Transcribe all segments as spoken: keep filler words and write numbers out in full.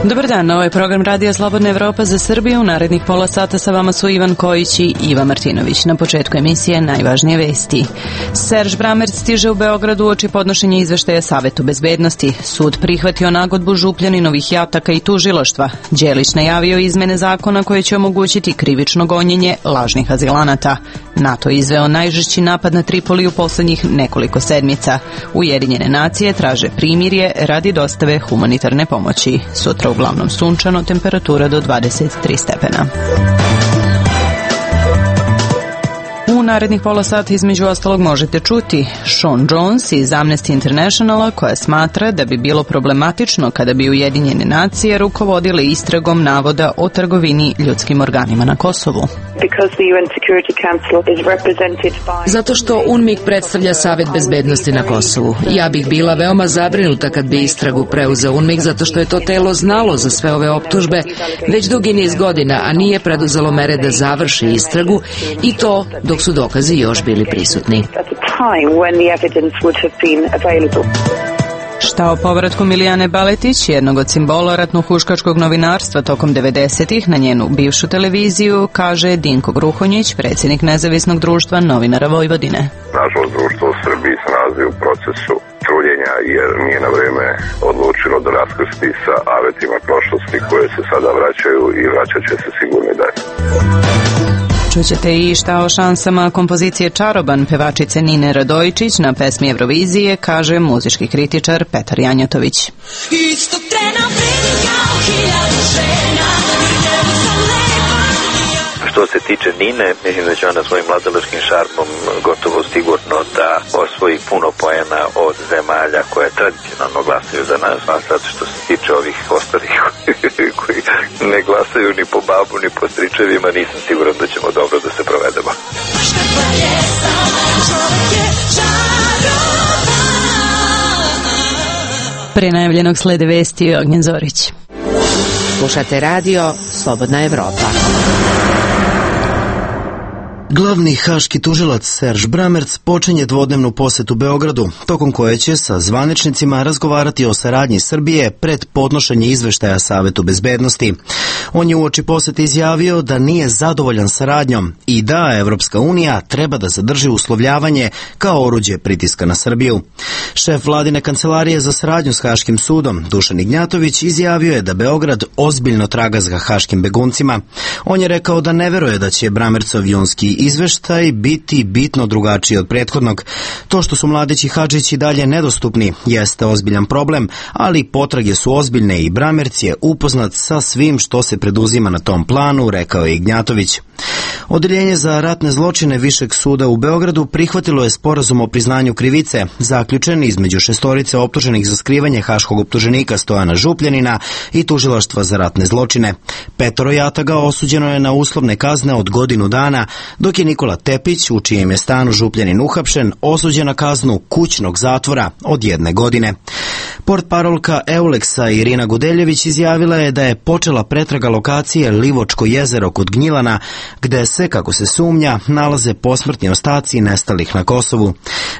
Dobar dan, ovo je program Radija Slobodna Evropa za Srbiju. U narednih pola sata sa vama su Ivan Kojić i Iva Martinović. Na početku emisije najvažnije vesti. Serž Bramerc stiže u Beogradu uoči podnošenja izveštaja Savetu bezbednosti. Sud prihvatio nagodbu Župljaninovih jataka i tužilaštva. Đelić najavio izmene zakona koje će omogućiti krivično gonjenje lažnih azilanata. NATO izveo najžešći napad na Tripoli u poslednjih nekoliko sedmica. Ujedinjene nacije traže primirje radi dostave humanitarne pomoći. Sutra uglavnom sunčano, temperatura do dvadeset tri stepena. U narednih pola sata između ostalog možete čuti Sean Jones iz Amnesty Internationala, koja smatra da bi bilo problematično kada bi Ujedinjene nacije rukovodile istragom navoda o trgovini ljudskim organima na Kosovu. Zato što U N M I K predstavlja Savet bezbednosti na Kosovu. Ja bih bila veoma zabrinuta kad bi istragu preuzeo U N M I K, zato što je to telo znalo za sve ove optužbe već dugi niz godina, a nije preduzelo mere da završi istragu, i to dok su dokazi još bili prisutni. Šta o povratku Milijane Baletić, jednog od simbola ratno-huškačkog novinarstva tokom devedesetih, na njenu bivšu televiziju, kaže Dinko Gruhonjić, predsjednik Nezavisnog društva novinara Vojvodine. Nažalost, društvo u Srbiji se nalazi u procesu truljenja jer nije na vreme odlučilo da raskrsti sa avetima prošlosti koje se sada vraćaju i vraćat će se sigurno i dalje. Čućete i šta o šansama kompozicije Čaroban pevačice Nine Radojičić na pesmi Eurovizije, kaže muzički kritičar Petar Janjatović. Istog trena vredim kao hiljadu žena. Što se tiče Nine, mislim da će ona svojim mladalačkim šarmom gotovo sigurno da osvoji puno poena od zemalja koje tradicionalno glasaju za nas, a sad što se tiče ovih ostalih koji ne glasaju ni po babu ni po stričevima, nisam siguran da ćemo dobro da se provedemo. Pre najavljenog slede vesti Ognjen Zorić. Slušate radio Slobodna Evropa. Glavni haški tužilac Serž Bramerc počinje dvodnevnu posetu Beogradu, tokom koje će sa zvaničnicima razgovarati o saradnji Srbije pred podnošenje izveštaja Savetu bezbednosti. On je uoči posete izjavio da nije zadovoljan saradnjom i da Evropska unija treba da zadrži uslovljavanje kao oruđe pritiska na Srbiju. Šef vladine kancelarije za saradnju s Haškim sudom, Dušan Ignjatović, izjavio je da Beograd ozbiljno traga za haškim beguncima. On je rekao da ne veruje da će Bramercov junski izveštaj biti bitno drugačiji od prethodnog. To što su Mladić i Hadžić i dalje nedostupni jeste ozbiljan problem, ali potrage su ozbiljne i Bramerc je upoznat sa svim što se preduzima na tom planu, rekao je Ignjatović. Odeljenje za ratne zločine Višeg suda u Beogradu prihvatilo je sporazum o priznanju krivice, zaključen između šestorice optuženih za skrivanje haškog optuženika Stojana Župljanina i tužilaštva za ratne zločine. Petoro jataga osuđeno je na uslovne kazne od godinu dana, dok je Nikola Tepić, u čijem je stanu Župljanin uhapšen, osuđen na kaznu kućnog zatvora od jedne godine. Portparolka Euleksa Irina Gudeljević izjavila je da je počela pretraga lokacije Livočko jezero kod Gnjilana, gde se, kako se sumnja, nalaze posmrtni ostaci nestalih na Kosovu.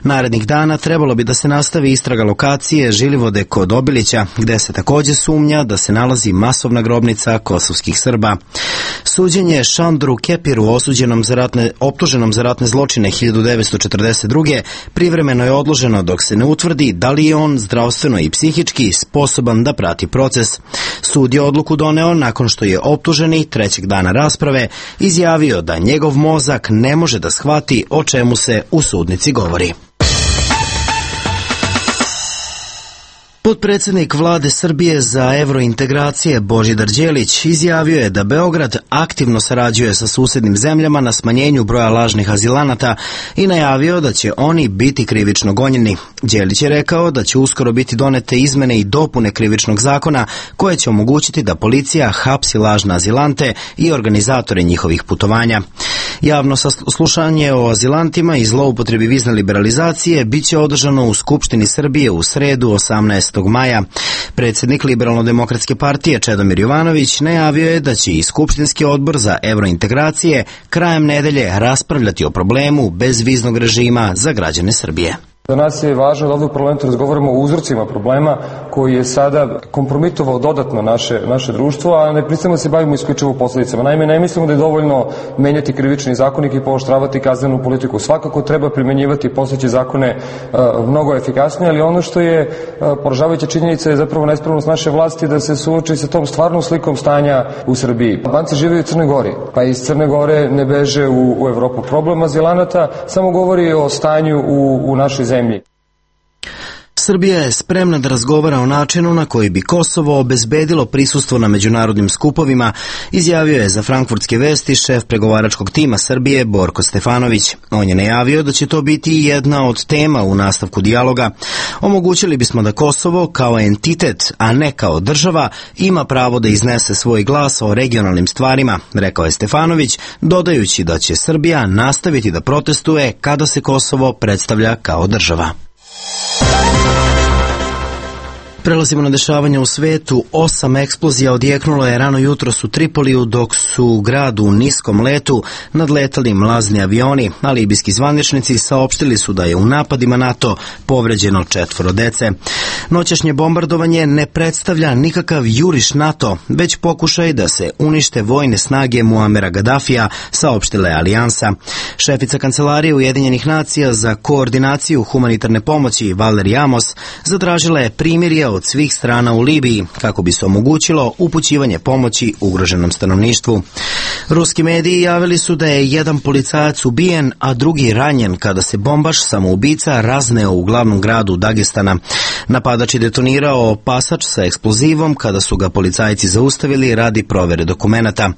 Narednih dana trebalo bi da se nastavi istraga lokacije Žilivode kod Obilića, gde se takođe sumnja da se nalazi masovna grobnica kosovskih Srba. Suđenje Šandru Kepiru, osuđenom za ratne, optuženom za ratne zločine hiljadu devetsto četrdeset druge. privremeno je odloženo dok se ne utvrdi da li je on zdravstveno i psihički sposoban da prati proces. Sud je odluku doneo nakon što je optuženi trećeg dana rasprave izjavio da njegov mozak ne može da shvati o čemu se u sudnici govori. Potpredsednik vlade Srbije za evrointegracije Božidar Đelić izjavio je da Beograd aktivno sarađuje sa susednim zemljama na smanjenju broja lažnih azilanata i najavio da će oni biti krivično gonjeni. Đelić je rekao da će uskoro biti donete izmene i dopune krivičnog zakona koje će omogućiti da policija hapsi lažne azilante i organizatore njihovih putovanja. Javno saslušanje o azilantima i zloupotrebi vizne liberalizacije biće održano u Skupštini Srbije u sredu osamnaestog maja. Predsjednik Liberalno-demokratske partije Čedomir Jovanović najavio je da će i Skupštinski odbor za evrointegracije krajem nedelje raspravljati o problemu bezviznog režima za građane Srbije. Za nas je važno da ovdje u parlamentu razgovaramo o uzrocima problema, koji je sada kompromitovao dodatno naše, naše društvo, a ne pristamo se bavimo isključivo posledicama. Naime, ne mislimo da je dovoljno menjati krivični zakonik i pooštravati kaznenu politiku. Svakako treba primenjivati postojeće zakone uh, mnogo efikasnije, ali ono što je uh, poražavajuća činjenica je zapravo nespravnost naše vlasti da se suoči sa tom stvarnom slikom stanja u Srbiji. Albanci žive u Crnoj Gori, pa iz Crne Gore ne beže u, u Evropu. Problem azilanata samo govori o stanju u, u našoj zemlji. Srbija je spremna da razgovara o načinu na koji bi Kosovo obezbedilo prisustvo na međunarodnim skupovima, izjavio je za Frankfurtske vesti šef pregovaračkog tima Srbije Borko Stefanović. On je najavio da će to biti jedna od tema u nastavku dijaloga. Omogućili bismo da Kosovo kao entitet, a ne kao država, ima pravo da iznese svoj glas o regionalnim stvarima, rekao je Stefanović, dodajući da će Srbija nastaviti da protestuje kada se Kosovo predstavlja kao država. Prelazimo na dešavanja u svetu. Osam eksplozija odjeknulo je rano jutros u Tripoliju dok su u gradu u niskom letu nadletali mlazni avioni, a libijski zvaničnici saopštili su da je u napadima NATO povređeno četvoro dece. Noćašnje bombardovanje ne predstavlja nikakav juriš NATO, već pokušaj da se unište vojne snage Muamera Gaddafija, saopštila je Alijansa. Šefica Kancelarije Ujedinjenih nacija za koordinaciju humanitarne pomoći Valeri Amos zatražila je primirje od svih strana u Libiji kako bi se omogućilo upućivanje pomoći ugroženom stanovništvu. Ruski mediji javili su da je jedan policajac ubijen, a drugi ranjen kada se bombaš samoubica razneo u glavnom gradu Dagestana. Napadač je detonirao pasač sa eksplozivom kada su ga policajci zaustavili radi provere dokumenata.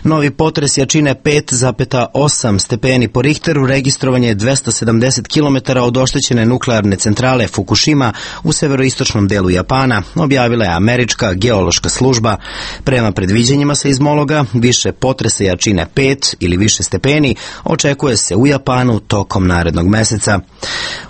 Novi potres jačine pet zarez osam stepeni po Richteru registrovan je dvesta sedamdeset kilometara od oštećene nuklearne centrale Fukushima u severoistočnom delu Japana, objavila je američka geološka služba. Prema predviđanjima seizmologa, više potresa jačine pet ili više stepeni očekuje se u Japanu tokom narednog meseca.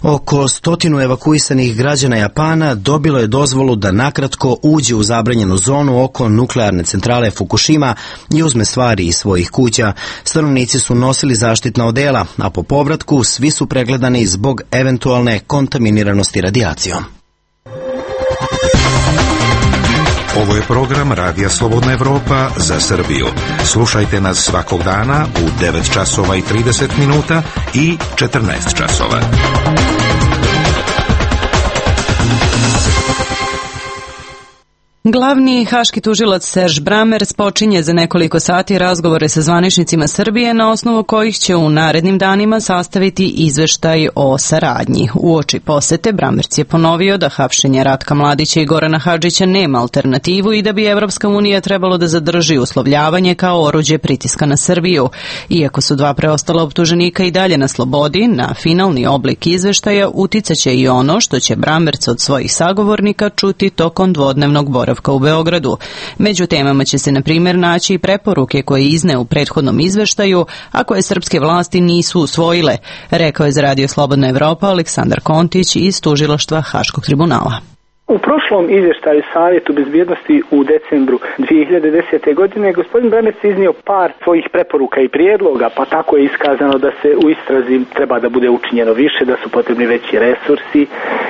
Oko stotinu evakuisanih građana Japana dobilo je dozvolu da nakratko uđe u zabranjenu zonu oko nuklearne centrale Fukushima i uzme stvari iz svojih kuća. Stanovnici su nosili zaštitna odela, a po povratku svi su pregledani zbog eventualne kontaminiranosti radijacijom. Ovo je program Radija Slobodna Evropa za Srbiju. Slušajte nas svakog dana u devet časova i trideset minuta i četrnaest časova. Glavni haški tužilac Serž Bramerc počinje za nekoliko sati razgovore sa zvaničnicima Srbije na osnovu kojih će u narednim danima sastaviti izveštaj o saradnji. Uoči posete Bramerc je ponovio da hapšenje Ratka Mladića i Gorana Hadžića nema alternativu i da bi Evropska unija trebalo da zadrži uslovljavanje kao oruđe pritiska na Srbiju. Iako su dva preostala optuženika i dalje na slobodi, na finalni oblik izveštaja uticaće i ono što će Bramerc od svojih sagovornika čuti tokom dvodnevnog boravka u Beogradu. Među temama će se, na primjer, naći i preporuke koje izne u prethodnom izveštaju, a koje srpske vlasti nisu usvojile, rekao je za Radio Slobodna Evropa Aleksandar Kontić iz tužilaštva Haškog tribunala. U prošlom izvještaju Savjetu bezbjednosti u decembru dvije hiljade desete. godine gospodin Bramerc iznio par svojih preporuka i prijedloga, pa tako je iskazano da se u istrazi treba da bude učinjeno više, da su potrebni veći resursi,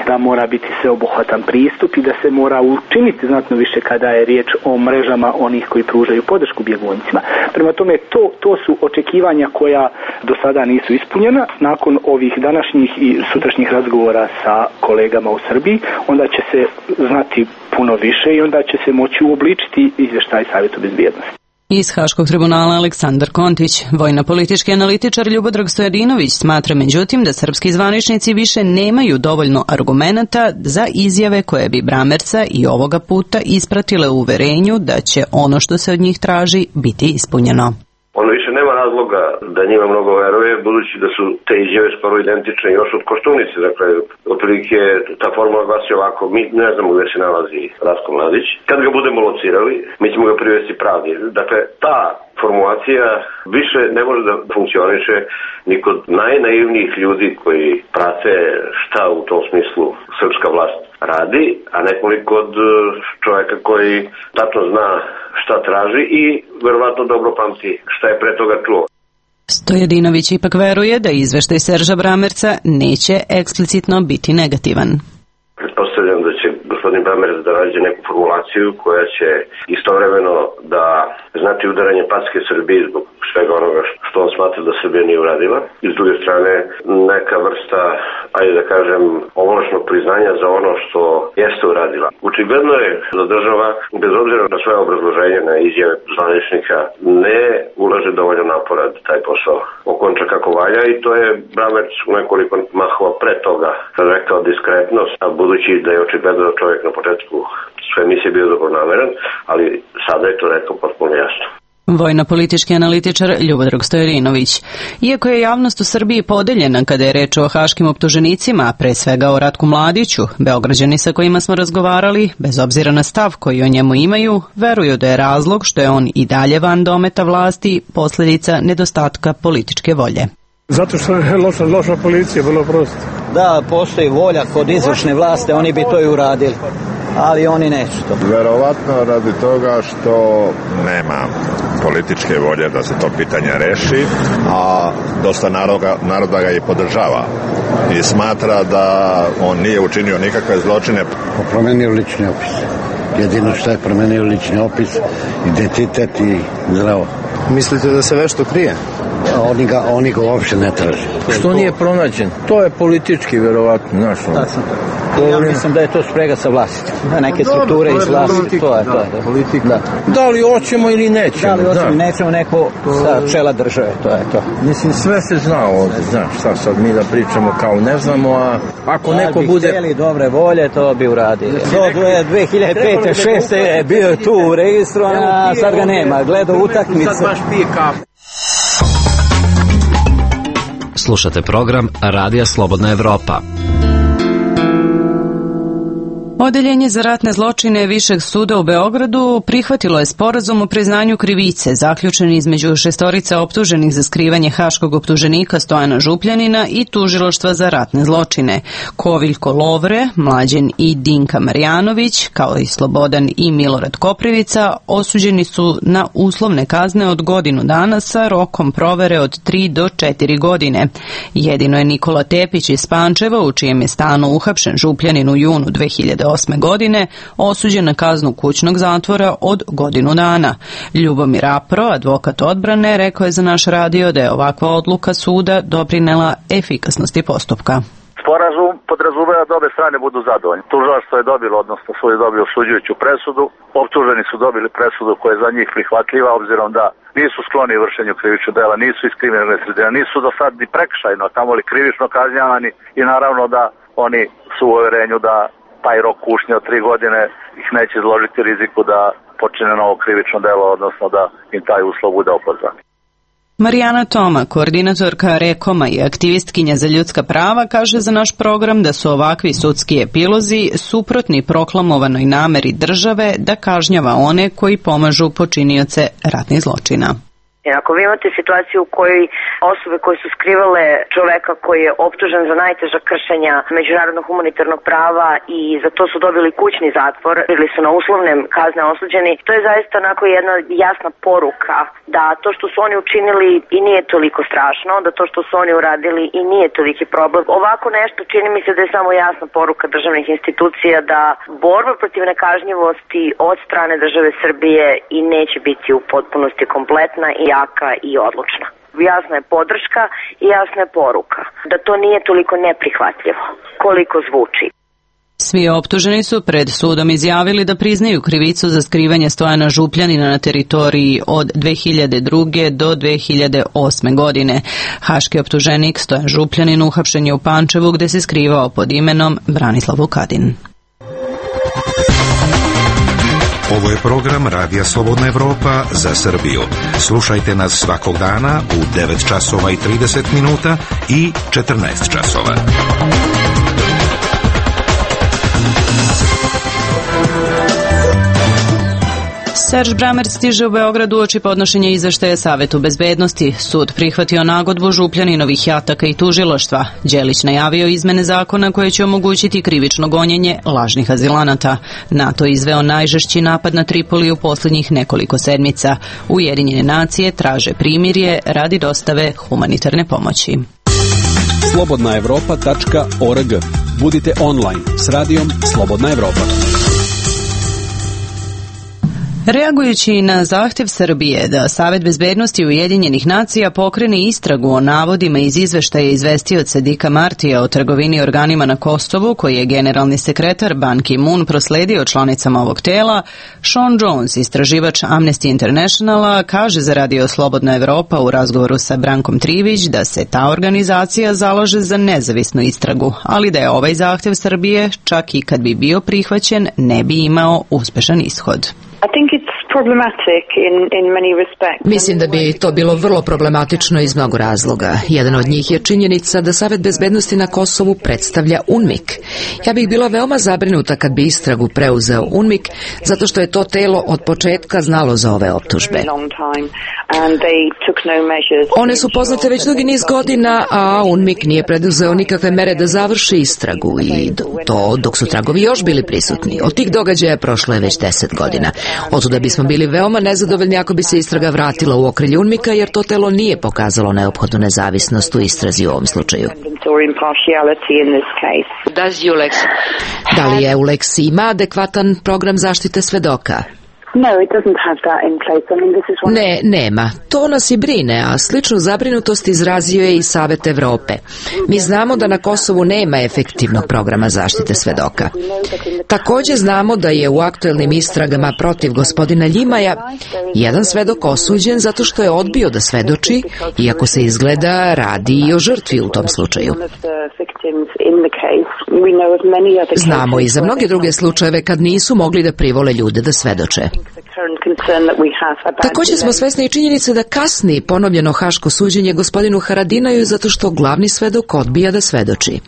da mora biti sveobuhvatan pristup i da se mora učiniti znatno više kada je riječ o mrežama onih koji pružaju podršku bjeguncima. Prema tome, to, to su očekivanja koja do sada nisu ispunjena. Nakon ovih današnjih i sutrašnjih razgovora sa kolegama u Srbiji, onda će se znati puno više i onda će se moći uobličiti izvještaj Savjeta bezbjednosti. Iz Haškog tribunala Aleksandar Kontić. Vojno-politički analitičar Ljubodrag Stojadinović smatra međutim da srpski zvaničnici više nemaju dovoljno argumenata za izjave koje bi Bramerca i ovoga puta ispratile u uverenju da će ono što se od njih traži biti ispunjeno. On više nema razloga da njima mnogo veruje, budući da su te izjave skoro identične još od Koštunice. Dakle, otprilike ta formula glasi ovako: mi ne znamo gde se nalazi Ratko Mladić. Kad ga budemo locirali, mi ćemo ga privesti pravdi. Dakle, ta formulacija više ne može da funkcioniše ni kod najnaivnijih ljudi koji prate šta u tom smislu srpska vlast radi, a nekoliko od čovjeka koji tačno zna šta traži i verovatno dobro pamti šta je pre toga čuo. Stojadinović ipak veruje da izveštaj Serža Bramerca neće eksplicitno biti negativan. Pretpostavljam da će gospodin Bramerc da nađe neku formulaciju koja će istovremeno da znati udaranje packe Srbiji zbog svega onoga što on smatra da Srbija nije uradila. I s druge strane neka vrsta, ajde da kažem, ovlašnog priznanja za ono što jeste uradila. Očigledno je da država, bez obzira na svoje obrazloženje, na izjave zvaničnika, ne ulaže dovoljno napora da taj posao okonča kako valja i to je Bramerc u nekoliko mahova pre toga rekao diskretnost, a budući da je očigledno da čovjek na početku sve emisije bio dobronameran, ali sada je to rekao potpuno jasno. Vojno-politički analitičar Ljubodrog Stojadinović. Iako je javnost u Srbiji podeljena kada je reč o haškim optuženicima, pre svega o Ratku Mladiću, Beograđani sa kojima smo razgovarali, bez obzira na stav koji o njemu imaju, veruju da je razlog što je on i dalje van dometa vlasti posljedica nedostatka političke volje. Zato što je loša, loša policija, vrlo prosto. Da, postoji volja kod izvršne vlasti, oni bi to i uradili, ali oni neće to. Verovatno radi toga što nema političke volje da se to pitanje reši, a dosta naroda, naroda ga i podržava i smatra da on nije učinio nikakve zločine. Promenio lični opis. Jedino što je promenio lični opis, identitet i zdravo. Mislite da se nešto krije? Oni ga, oni ga uopšte ne traže. Što nije pronađen? To je politički, verovatno, znaš. Tačno. Ja mislim da je to sprega sa vlasti. Da, neke strukture iz vlasti, to je to. Da, politika. Da. Da li hoćemo ili nećemo? Da li hoćemo, nećemo, neko sa čela države, to je to. Mislim, sve se zna ovdje, znaš, šta sad mi da pričamo kao ne znamo, a ako neko bude... Ako bi htjeli dobre volje, to bi uradili. Do dve hiljade pete šeste je bio tu u registru, a sad ga nema, gledao utakmice. Sad baš pije kafu. Slušate program Radija Slobodna Evropa. Odeljenje za ratne zločine Višeg suda u Beogradu prihvatilo je sporazum o priznanju krivice zaključen između šestorica optuženih za skrivanje haškog optuženika Stojana Župljanina i tužilaštva za ratne zločine. Koviljko Lovre, Mlađen i Dinka Marjanović, kao i Slobodan i Milorad Koprivica, osuđeni su na uslovne kazne od godinu dana sa rokom provere od tri do četiri godine. Jedino je Nikola Tepić iz Pančeva, u čijem je stanu uhapšen Župljanin u junu dve hiljade osme godine, osuđen na kaznu kućnog zatvora od godinu dana. Ljubomir Apro, advokat odbrane, rekao je za naš radio da je ovakva odluka suda doprinela efikasnosti postupka. Sporazum podrazumeva da obe strane budu zadovoljni. Tužilaštvo je dobilo, odnosno sud je dobio osuđujuću presudu, optuženi su dobili presudu koja je za njih prihvatljiva, obzirom da nisu skloni vršenju krivičnog dela, nisu iz kriminalne sredine, nisu do sad ni prekršajno, tamo li krivično kažnjavani i naravno da oni su u uverenju da taj rok kušnje od tri godine ih neće izložiti riziku da počine novo krivično delo, odnosno da im taj uslov bude opozvan. Marijana Toma, koordinatorka Rekoma i aktivistkinja za ljudska prava, kaže za naš program da su ovakvi sudski epilozi suprotni proklamovanoj nameri države da kažnjava one koji pomažu počinioce ratnih zločina. Ako vi imate situaciju u kojoj osobe koje su skrivale čoveka koji je optužen za najteža kršenja međunarodnog humanitarnog prava i za to su dobili kućni zatvor ili su na uslovne kazne osuđeni, to je zaista onako jedna jasna poruka da to što su oni učinili i nije toliko strašno, da to što su oni uradili i nije toliki problem. Ovako nešto čini mi se da je samo jasna poruka državnih institucija da borba protiv nekažnjivosti od strane države Srbije i neće biti u potpunosti kompletna i jaka i odlučna. Jasna je podrška i jasna je poruka da to nije toliko neprihvatljivo koliko zvuči. Svi optuženi su pred sudom izjavili da priznaju krivicu za skrivanje Stojana Župljanina na teritoriji od dve hiljade druge do dve hiljade osme godine. Haški optuženik Stojan Župljanin uhapšen je u Pančevu gde se skrivao pod imenom Branislav Vukadin. Ovo je program Radija Slobodna Evropa za Srbiju. Slušajte nas svakog dana u devet časova i trideset minuta i četrnaest časova. Serž Bramerc stiže u Beogradu uoči podnošenja izveštaja Savetu bezbednosti. Sud prihvatio nagodbu Župljaninovih jataka i tužilaštva. Đelić najavio izmene zakona koje će omogućiti krivično gonjenje lažnih azilanata. NATO izveo najžešći napad na Tripoli u posljednjih nekoliko sedmica. Ujedinjene nacije traže primirje radi dostave humanitarne pomoći. slobodna evropa tačka org. Budite online s radijom Slobodna Evropa. Reagujući na zahtjev Srbije da Savet bezbednosti Ujedinjenih nacija pokrene istragu o navodima iz izveštaja izvestioca Dicka Martija o trgovini organima na Kosovu, koji je generalni sekretar Ban Ki-moon prosledio članicama ovog tela, Sean Jones, istraživač Amnesty Internationala, kaže za Radio Slobodna Evropa u razgovoru sa Brankom Trivić da se ta organizacija zalaže za nezavisnu istragu, ali da je ovaj zahtjev Srbije, čak i kad bi bio prihvaćen, ne bi imao uspešan ishod. Mislim da bi to bilo vrlo problematično iz mnogo razloga. Jedan od njih je činjenica da Savet bezbednosti na Kosovu predstavlja UNMIK. Ja bih bila veoma zabrinuta kad bi istragu preuzeo UNMIK, zato što je to telo od početka znalo za ove optužbe. One su poznate već dugi niz godina, a UNMIK nije preduzeo nikakve mere da završi istragu i to dok su tragovi još bili prisutni. Od tih događaja prošlo je već deset godina. Otuda bismo bili veoma nezadovoljni ako bi se istraga vratila u okrilje UNMIK-a, jer to telo nije pokazalo neophodnu nezavisnost u istrazi u ovom slučaju. Da li EULEX ima adekvatan program zaštite svedoka? Ne, nema. To nas i brine, a sličnu zabrinutost izrazio je i Savet Evrope. Mi znamo da na Kosovu nema efektivnog programa zaštite svedoka. Također znamo da je u aktuelnim istragama protiv gospodina Ljimaja jedan svedok osuđen zato što je odbio da svedoči, iako se izgleda radi i o žrtvi u tom slučaju. Znamo i za mnoge druge slučajeve kad nisu mogli da privole ljude da svedoče. Također smo svesni i činjenice da kasni ponovljeno haško suđenje gospodinu Haradinaju zato što glavni svedok odbija da svedoči.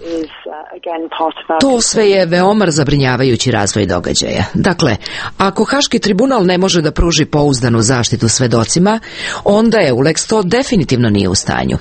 To sve je veoma zabrinjavajući razvoj događaja. Dakle, ako Haški tribunal ne može da pruži pouzdanu zaštitu svedocima, onda EULEX to definitivno nije u stanju.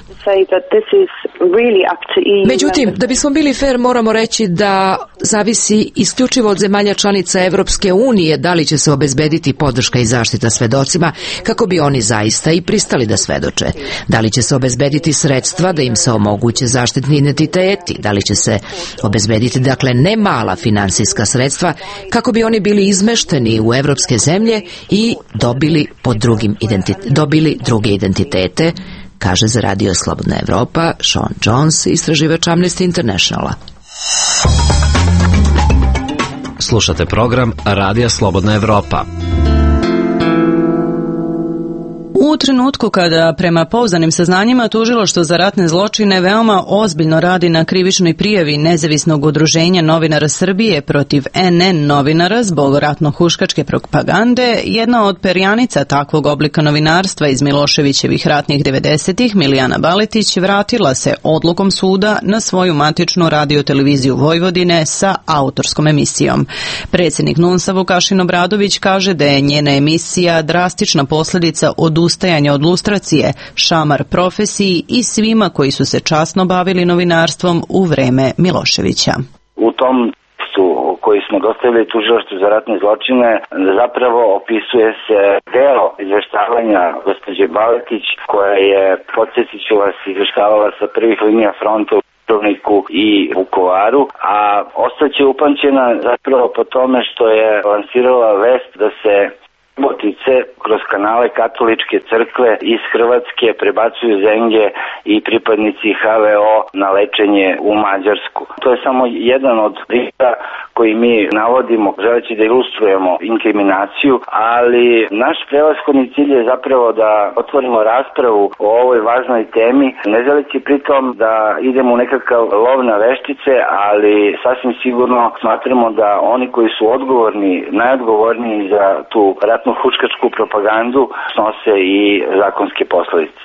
Međutim, da bismo bili fair, moramo reći da zavisi isključivo od zemalja članica Evropske unije da li će se obezbediti podrška i zaštita svedocima kako bi oni zaista i pristali da svedoče. Da li će se obezbediti sredstva da im se omoguće zaštitni identiteti, da li će se obezbediti, dakle, ne mala finansijska sredstva kako bi oni bili izmešteni u evropske zemlje i dobili, pod drugim identite, dobili druge identitete, kaže za Radio Slobodna Evropa Sean Jones, istraživač Amnesty Internationala. Slušate program Radija Slobodna Evropa. U trenutku kada prema pouzdanim saznanjima tužilaštvo za ratne zločine veoma ozbiljno radi na krivičnoj prijavi nezavisnog udruženja novinara Srbije protiv N N novinara zbog ratno-huškačke propagande, jedna od perjanica takvog oblika novinarstva iz Miloševićevih ratnih devedesetih, Milijana Baletić, vratila se odlukom suda na svoju matičnu radioteleviziju Vojvodine sa autorskom emisijom. Predsjednik N U N S-a Vukašin Obradović kaže da je njena emisija drastična posljedica odustajanja od lustracije, šamar profesiji i svima koji su se časno bavili novinarstvom u vreme Miloševića. U tom tekstu koji smo dostavili tužilaštvu za ratne zločine zapravo opisuje se deo izveštavanja gospođe Baletić, koja je, podsjetit ću vas, izveštavala sa prvih linija fronta u Dubrovniku i Vukovaru, a ostaće upamćena zapravo po tome što je lansirala vest da se botice kroz kanale katoličke crkve iz Hrvatske prebacuju zenge i pripadnici H V O na lečenje u Mađarsku. To je samo jedan od primjera koji mi navodimo želeći da ilustrujemo inkriminaciju, ali naš prevashodni cilj je zapravo da otvorimo raspravu o ovoj važnoj temi, ne želeći pritom da idemo u nekakav lov na veštice, ali sasvim sigurno smatramo da oni koji su odgovorni, najodgovorniji za tu ratno-huškačku propagandu snose i zakonske posljedice.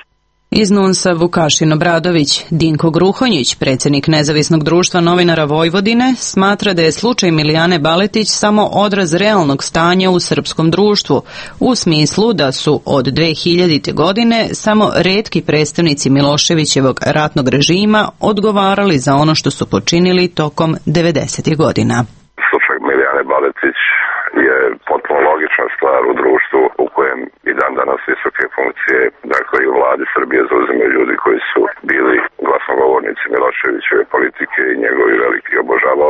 Iz N U N S-a Vukašin Obradović. Dinko Gruhonjić, predsjednik Nezavisnog društva novinara Vojvodine, smatra da je slučaj Milijane Baletić samo odraz realnog stanja u srpskom društvu, u smislu da su od dve hiljadite. godine samo retki predstavnici Miloševićevog ratnog režima odgovarali za ono što su počinili tokom devedesetih. godina. Slučaj Milijane Baletić je potpuno logična stvar u društvu u kojem i dan danas visoke funkcije, dakle i u vladi Srbije, zauzimaju ljudi koji su bili glasnogovornici Miloševićeve politike i njegovi veliki obožavaoci.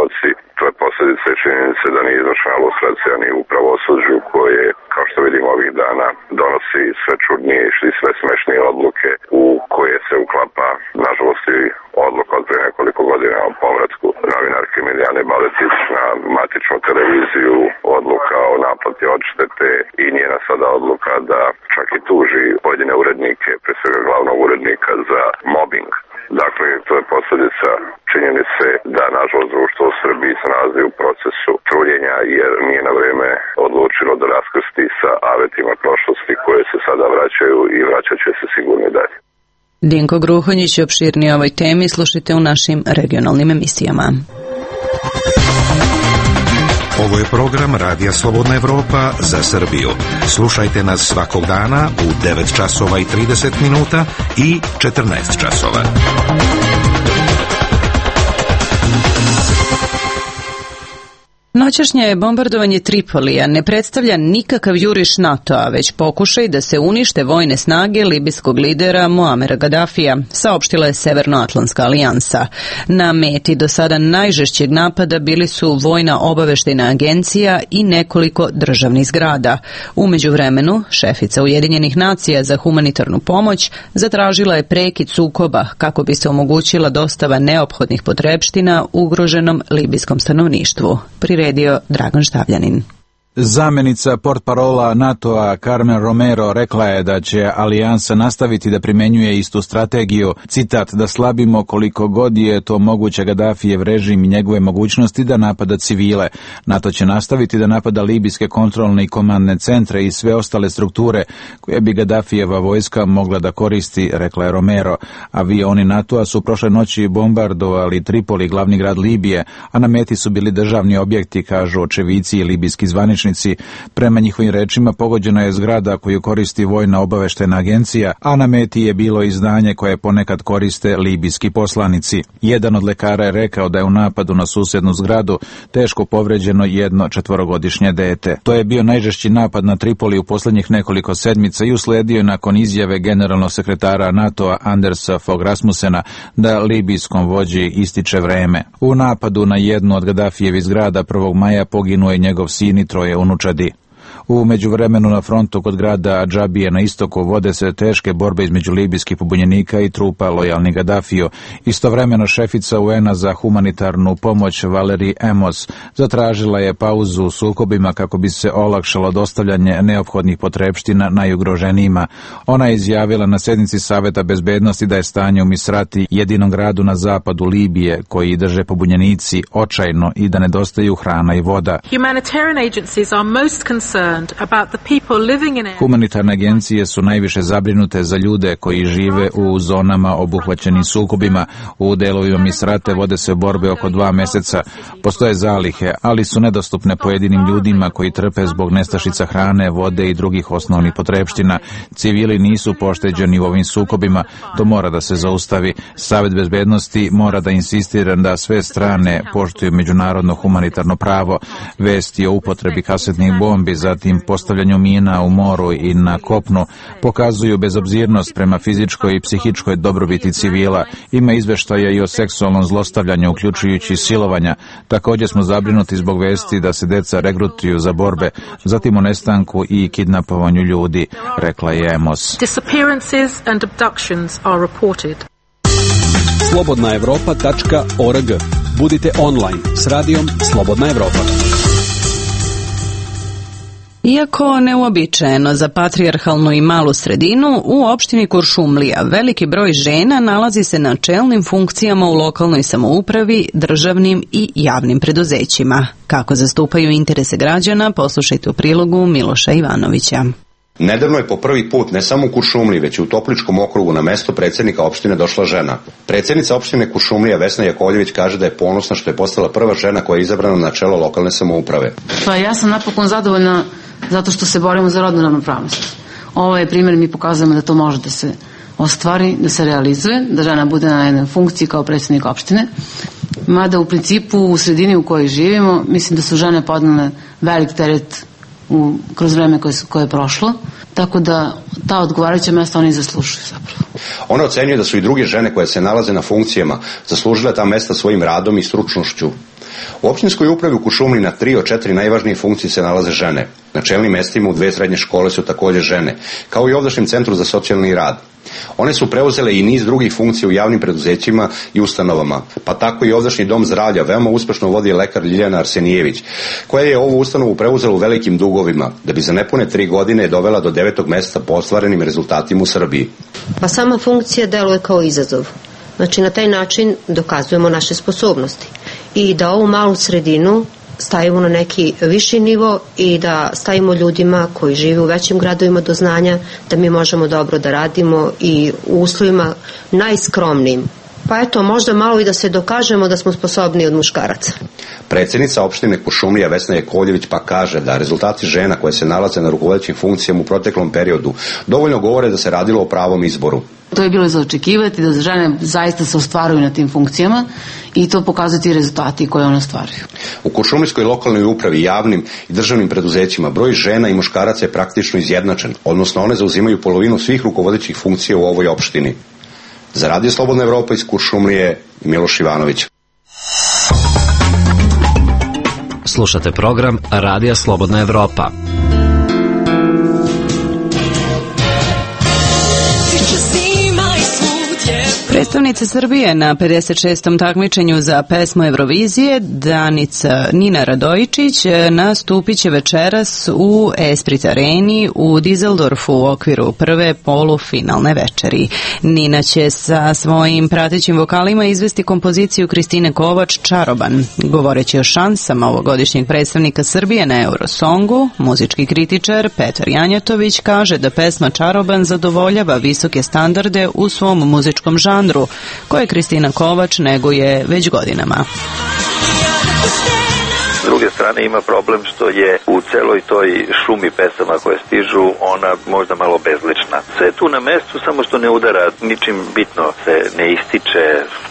demonstracija ni u pravosuđu koje, kao što vidimo ovih dana, donosi sve čudnije i sve smešnije odluke u koje se uklapa, nažalost, i odluka od pre nekoliko godina o povratku novinarke Milijane Baletić na matičnu televiziju, odluka o naplati odštete i njena sada odluka da čak i tuži pojedine urednike, pre svega glavnog urednika, za mobbing. Dakle, to je posljedica činjenice da, nažalost, društvo u Srbiji se nalazi u procesu truljenja jer nije na vreme odlučilo da raskrsti sa avetima prošlosti koje se sada vraćaju i vraćat će se sigurno dalje. Dinko Gruhonjić je opširnije ovoj temi, slušajte u našim regionalnim emisijama. Ovo je program Radija Slobodna Evropa za Srbiju. Slušajte nas svakog dana u devet časova i trideset minuta i četrnaest časova. Noćašnje bombardovanje Tripolija ne predstavlja nikakav juriš NATO-a, već pokušaj da se unište vojne snage libijskog lidera Muamera Gadafija, saopštila je Severnoatlantska alijansa. Na meti do sada najžešćeg napada bili su Vojna obaveštajna agencija i nekoliko državnih zgrada. U međuvremenu, šefica Ujedinjenih nacija za humanitarnu pomoć zatražila je prekid sukoba kako bi se omogućila dostava neophodnih potrepština ugroženom libijskom stanovništvu. Priredio Dragan Štavljanin. Zamenica portparola NATO-a Carmen Romero rekla je da će alijansa nastaviti da primenjuje istu strategiju, citat, da slabimo koliko god je to moguće Gadafijev režim i njegove mogućnosti da napada civile. NATO će nastaviti da napada libijske kontrolne i komandne centre i sve ostale strukture koje bi Gadafijeva vojska mogla da koristi, rekla je Romero. Avioni NATO-a su prošle noći bombardovali Tripoli, glavni grad Libije, a na meti su bili državni objekti, kažu očevici i libijski zvaničnici. Prema njihovim rečima pogođena je zgrada koju koristi Vojna obaveštajna agencija, a na meti je bilo i zdanje koje ponekad koriste libijski poslanici. Jedan od lekara je rekao da je u napadu na susednu zgradu teško povređeno jedno četvorogodišnje dete. To je bio najžešći napad na Tripoli u posljednjih nekoliko sedmica i usledio je nakon izjave generalnog sekretara NATO-a Andersa Fogh Rasmussena da libijskom vođi ističe vreme. U napadu na jednu od Gadafijevih zgrada prvog maja poginuo je njegov sin i troje unučadi. U međuvremenu na frontu kod grada Adžabije na istoku vode se teške borbe između libijskih pobunjenika i trupa lojalnih Gadafiju. Istovremeno šefica U N-a za humanitarnu pomoć Valerie Amos zatražila je pauzu u sukobima kako bi se olakšalo dostavljanje neophodnih potrepština najugroženijima. Ona je izjavila na sednici Saveta bezbednosti da je stanje u Misrati, jedinom gradu na zapadu Libije koji drže pobunjenici, očajno i da nedostaju hrana i voda. Humanitarian agencies are most concerned Humanitarne agencije su najviše zabrinute za ljude koji žive u zonama obuhvaćenim sukobima. U delovima Misrate vode se borbe oko dva meseca. Postoje zalihe, ali su nedostupne pojedinim ljudima koji trpe zbog nestašica hrane, vode i drugih osnovnih potrepština. Civili nisu pošteđeni u ovim sukobima. To mora da se zaustavi. Savet bezbednosti mora da insistira da sve strane poštuju međunarodno humanitarno pravo. Vesti o upotrebi kasetnih bombi, zatim postavljanju mina u moru i na kopnu pokazuju bezobzirnost prema fizičkoj i psihičkoj dobrobiti civila. Ima izveštaja i o seksualnom zlostavljanju, uključujući silovanja. Također smo zabrinuti zbog vesti da se deca regrutuju za borbe, zatim o nestanku i kidnapovanju ljudi, rekla je Amos. Disappearances and abductions are reported. slobodna evropa tačka org. Budite online s radijom Slobodna Evropa. Iako neuobičajeno za patrijarhalnu i malu sredinu, u opštini Kuršumlija veliki broj žena nalazi se na čelnim funkcijama u lokalnoj samoupravi, državnim i javnim preduzećima. Kako zastupaju interese građana, poslušajte u prilogu Miloša Ivanovića. Nedavno je po prvi put ne samo u Kuršumliji, već i u Topličkom okrugu na mesto predsjednika opštine došla žena. Predsjednica opštine Kuršumlija Vesna Jakovljević kaže da je ponosna što je postala prva žena koja je izabrana na čelo lokalne samouprave. Pa ja sam napokon zadovoljna zato što se borimo za rodnu ravnopravnost. Ovo je primjer, mi pokazujemo da to može da se ostvari, da se realizuje, da žena bude na jednoj funkciji kao predsjednik opštine. Mada u principu u sredini u kojoj živimo, mislim da su žene podnele velik teret u, kroz vreme koje, koje je prošlo, tako da ta odgovarajuća mesta oni zaslužuju zapravo. Ona ocenjuje da su i druge žene koje se nalaze na funkcijama zaslužile ta mesta svojim radom i stručnošću. U općinskoj upravi u Kuršumliji na tri od četiri najvažnije funkcije se nalaze žene. Na čelnim mestima u dve srednje škole su također žene, kao i ovdašnjem centru za socijalni rad. One su preuzele i niz drugih funkcija u javnim preduzećima i ustanovama, pa tako i ovdašnji dom zdravlja veoma uspešno vodi lekar Ljiljana Arsenijević, koja je ovu ustanovu preuzela u velikim dugovima, da bi za nepune tri godine dovela do devetog mesta po ostvarenim rezultatima u Srbiji. Pa sama funkcija deluje kao izazov. Znači na taj način dokazujemo naše sposobnosti i da ovu malu sredinu stavimo na neki viši nivo i da stavimo ljudima koji žive u većim gradovima do znanja da mi možemo dobro da radimo i u uslovima najskromnijim. Pa eto, možda malo i da se dokažemo da smo sposobni od muškaraca. Predsjednica opštine Kuršumlija Vesna Jakovljević pa kaže da rezultati žena koje se nalaze na rukovodećim funkcijama u proteklom periodu dovoljno govore da se radilo o pravom izboru. To je bilo za očekivati da žene zaista se ostvaruju na tim funkcijama i to pokazuju ti rezultati koje one ostvaruju. U Kuršumlijskoj lokalnoj upravi, javnim i državnim preduzećima broj žena i muškaraca je praktično izjednačen, odnosno one zauzimaju polovinu svih rukovodećih funkcija u ovoj opštini. Za Radio Slobodna Evropa iz Kuršumlije, Miloš Ivanović. Slušate program Radija Slobodna Evropa. Predstavnica Srbije na pedeset šestom takmičenju za pesmu Eurovizije, Danica Nina Radojičić, nastupit će večeras u Esprit Areni u Dizeldorfu u okviru prve polufinalne večeri. Nina će sa svojim pratećim vokalima izvesti kompoziciju Kristine Kovač Čaroban. Govoreći o šansama ovogodišnjeg predstavnika Srbije na Eurosongu, muzički kritičar Petar Janjatović kaže da pesma Čaroban zadovoljava visoke standarde u svom muzičkom žanru, koje Kristina Kovač neguje već godinama. S druge strane ima problem što je u celoj toj šumi pesama koje stižu ona možda malo bezlična. Sve je tu na mestu, samo što ne udara ničim bitno, se ne ističe,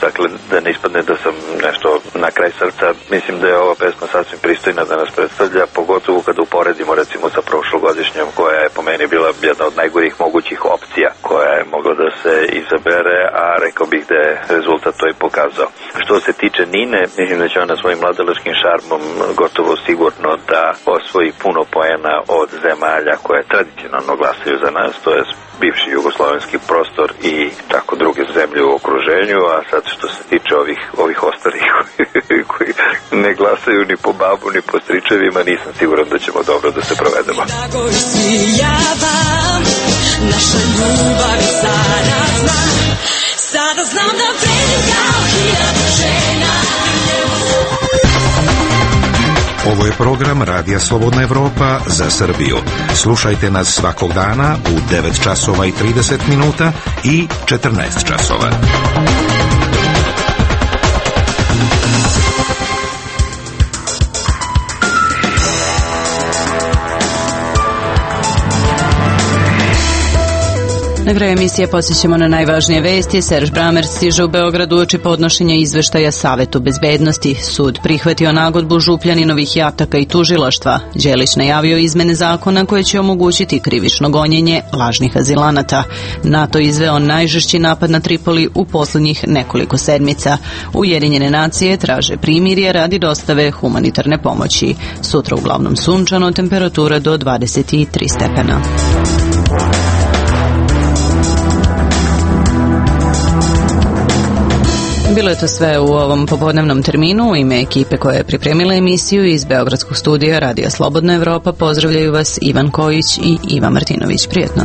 dakle da ne ispadne da sam nešto na kraj srca. Mislim da je ova pesma sasvim pristojna da nas predstavlja, pogotovo kada uporedimo recimo sa prošlogodišnjom koja je po meni bila jedna od najgorih mogućih opcija koja je mogla da se izabere, a rekao bih da je rezultat to i pokazao. Što se tiče Nine, mislim da će ona svojim mladalačkim šarmom gotovo sigurno da osvoji puno poena od zemalja koje tradicionalno glasaju za nas, to je bivši jugoslovenski prostor i tako druge zemlje u okruženju, a sad što se tiče ovih, ovih ostalih koji ne glasaju ni po babu ni po stričevima, nisam siguran da ćemo dobro da se provedemo. Naša ljubav je zarazna, sada znam da vredim kao hiljadu žena. Ovo je program Radija Slobodna Evropa za Srbiju. Slušajte nas svakog dana u devet časova i trideset minuta i četrnaest časova. Na kraju emisije podsjećamo na najvažnije vesti. Serž Bramer stiže u Beograd uoči podnošenja izveštaja Savetu bezbednosti. Sud prihvatio nagodbu Župljaninovih jataka i tužilaštva. Đelić najavio izmene zakona koje će omogućiti krivično gonjenje lažnih azilanata. NATO izveo najžešći napad na Tripoli u poslednjih nekoliko sedmica. Ujedinjene nacije traže primirje radi dostave humanitarne pomoći. Sutra uglavnom sunčano, temperatura do dvadeset tri stepena. Bilo je to sve u ovom popodnevnom terminu. U ime ekipe koja je pripremila emisiju iz Beogradskog studija Radija Slobodna Evropa pozdravljaju vas Ivan Kojić i Iva Martinović. Prijetno.